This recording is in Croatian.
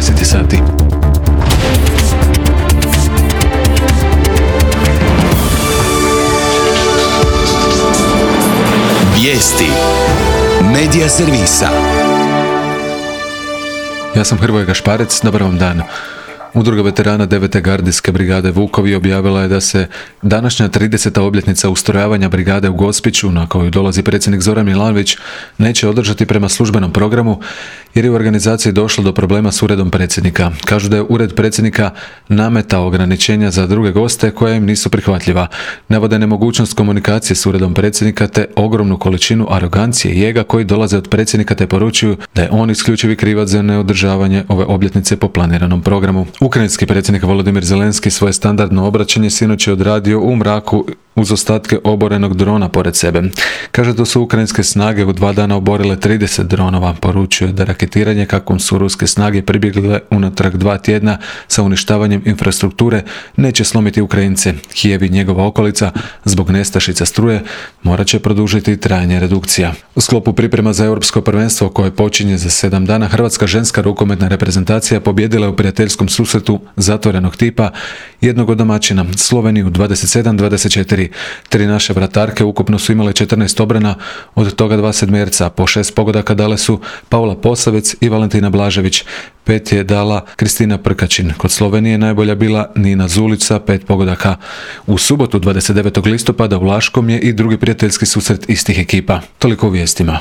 10 sati. Vijesti Medija servisa. Ja sam Hrvoje Gašparec, dobar vam dan. Udruga veterana 9. gardijske brigade Vukovi objavila je da se današnja 30. obljetnica ustrojavanja brigade u Gospiću, na koju dolazi predsjednik Zoran Milanović, neće održati prema službenom programu jer je u organizaciji došlo do problema s uredom predsjednika. Kažu da je ured predsjednika nametao ograničenja za druge goste koja im nisu prihvatljiva. Navode nemogućnost komunikacije s uredom predsjednika te ogromnu količinu arogancije i ega koji dolaze od predsjednika te poručuju da je on isključivi krivac za neodržavanje ove obljetnice po planiranom programu. Ukrajinski predsjednik Volodymyr Zelenski svoje standardno obraćanje sinoć je odradio u mraku uz ostatke oborenog drona pored sebe. Kaže da su ukrajinske snage u 2 dana oborile 30 dronova. Poručuje da raketiranje kakvom su ruske snage pribjegle unatrag 2 tjedna sa uništavanjem infrastrukture neće slomiti Ukrajince. Kijev i njegova okolica zbog nestašica struje morat će produžiti trajanje redukcija. U sklopu priprema za europsko prvenstvo koje počinje za 7 dana, hrvatska ženska rukometna reprezentacija pobjedila je u prijateljskom susretu zatvorenog tipa jednog od domaćina, Sloveniju 27-24. 3 naše vratarke ukupno su imale 14 obrana, od toga 2 sedmerca. Po 6 pogodaka dale su Paula Posavec i Valentina Blažević. 5 je dala Kristina Prkačin. Kod Slovenije najbolja bila Nina Zulić sa 5 pogodaka. U subotu 29. listopada u Laškom je i drugi prijateljski susret istih ekipa. Toliko u vijestima.